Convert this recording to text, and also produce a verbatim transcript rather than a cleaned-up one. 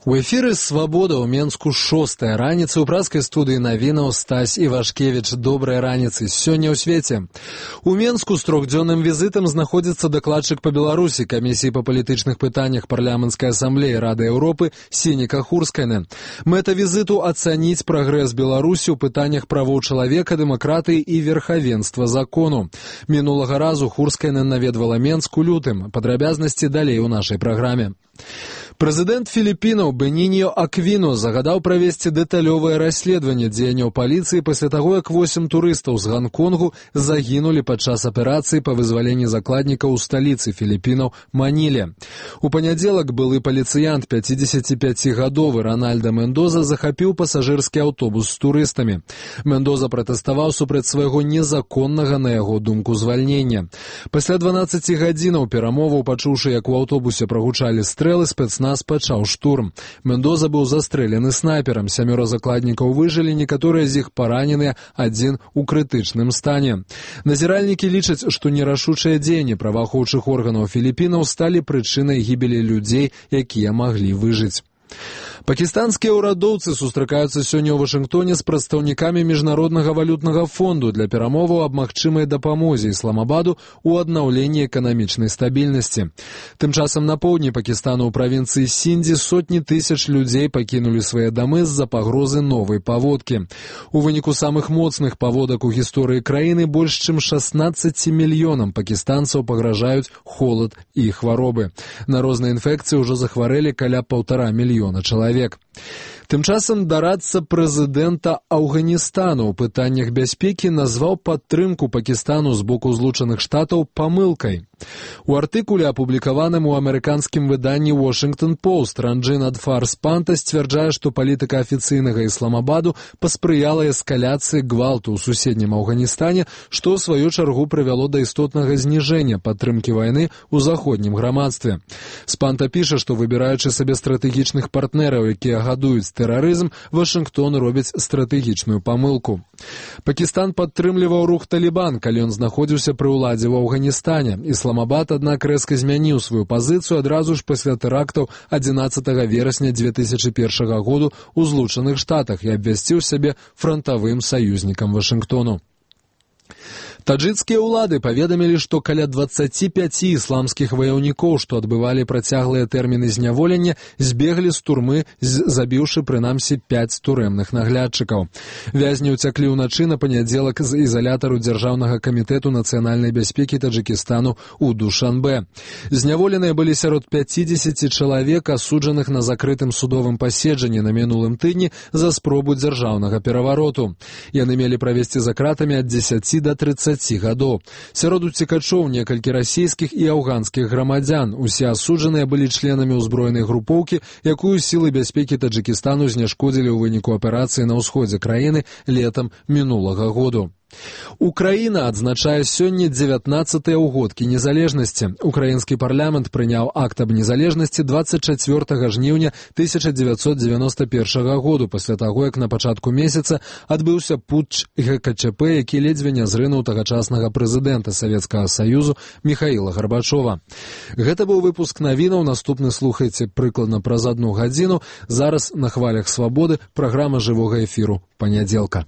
У эфіры «Свабода» ў Менску шостая раніца. У праскай студыі навінаў Стась Івашкевіч. Добрай раніцы. Сёння ў свеце. У Менску з трохдзённым візітам знаходзіцца дакладчык па Беларусі камісіі па палітычных пытаннях парламенцкай асамблеі Рады Еўропы Сініка Хурскайна. Мэта візіту – ацаніць прагрэс Беларусі ў пытаннях правоў чалавека, дэмакратыі і верхавенства закону. Мінулага разу Хурскайна наведвала Менск у лютым. Падрабязнасці далей у нашай праграме. Прэзідэнт Філіпінаў Беніньо Аквіно загадаў правесці дэталёвае расследаванне дзеянняў паліцыі пасля таго, як восем турыстаў з Ганконгу загінулі падчас аперацыі па вызваленні закладнікаў у сталіцы Філіпінаў Маніле. У панядзелак былы паліцыянт пяцідзесятіпяцігадовы Ранальда Мендоза захапіў пасажырскі аўтобус з турыстамі. Мендоза пратэставаў супраць свайго незаконнага, на яго думку, звальнення. Пасля дванаццаці гадзінаў перамоваў, пачуўшы, як у аўтобусе прагучалі стрэлы, спецназ пачаў штурм. Мендоза быў застрэлены снайперам. Сямёра закладнікаў выжылі, некаторыя з іх параненыя, адзін у крытычным стане. Назіральнікі лічаць, што нерашучыя дзеянні праваахоўчых органаў Філіпінаў сталі прычынай гібелі людзей, якія маглі выжыць. Пакістанскія ўрадоўцы сустракаюцца сёння ў Вашынгтоне з прадстаўнікамі Міжнароднага валютнага фонду для перамоваў аб магчымай дапамозе Ісламабаду ў аднаўленні эканамічнай стабільнасці. Тым часам на поўдні Пакістану ў правінцыі Сіндзі сотні тысяч людзей пакінулі свае дамы з-за пагрозы новай паводкі. У выніку самых моцных паводак у гісторыі краіны больш чым шаснаццаці мільёнам пакістанцаў пагражаюць холад і хваробы. На розныя інфекцыі ўжо захварэлі каля паўтара мільёна чалавек. Тым часам дарадца прэзідэнта Афганістану ў пытаннях бяспекі назваў падтрымку Пакістану з боку Злучаных Штатаў памылкай. У артыкуле, апублікаваным у амерыканскім выданні «Washington Post», Ранджын Адфар Спанта сцвярджае, што палітыка афіцыйнага Ісламабаду паспрыяла эскаляцыі гвалту ў суседнім Афганістане, што ў сваю чаргу прывяло да істотнага зніжэння падтрымкі вайны ў заходнім грамадстве. Спанта піша, што выбіраючы сабе стратэгічных партнераў, якія гадуюць тэрарызм, Вашынгтон робіць стратэгічную памылку. Пакістан падтрымліваў рух Талібан, калі ён знаходзіўся пры ўладзе ў Афганістане. Ісламабад, аднак, рэзка змяніў сваю пазіцыю адразу ж пасля тэрактаў адзінаццатага верасня дзве тысячы першага году ў Злучаных Штатах і абвясціў сябе франтавым саюзнікам Вашынгтону. Таджыкскія ўлады паведамілі, што каля дваццаці пяці ісламскіх ваяўнікоў, што адбывалі працяглыя тэрміны зняволення, збеглі з турмы, забіўшы прынамсі пяць турэмных наглядчыкаў. Вязні ўцяклі ўначы на панядзелак з ізалятару Дзяржаўнага камітэту нацыянальнай бяспекі Таджыкістану ў Душанбе. Зняволеныя былі сярод пяцідзесяці чалавек, асуджаных на закрытым судовым паседжанні на мінулым тыдні за спробу дзяржаўнага перавароту. Яны мелі правесці за кратамі ад дзесяці да трыццаці гадоў. Сярод уцекачоў некалькі расійскіх і афганскіх грамадзян. Усе асуджаныя былі членамі ўзброенай групоўкі, якую сілы бяспекі Таджыкістану знешкодзілі ў выніку аперацыі на ўсходзе краіны летам мінулага году. Украіна адзначае сёння дзевятнаццатыя ўгодкі незалежнасці. Украінскі парламент прыняў акт аб незалежнасці дваццаць чацвёртага жніўня тысяча дзевяцьсот дзевяноста першага году, пасля таго, як на пачатку месяца адбыўся путч гэ ка чэ пэ, які ледзьве не зрынуў тагачаснага прэзідэнта Савецкага Саюзу Міхаіла Гарбачова. Гэта быў выпуск навінаў, наступны слухайце прыкладна праз адну гадзіну. Зараз на хвалях свабоды праграма жывога эфіру панядзелка.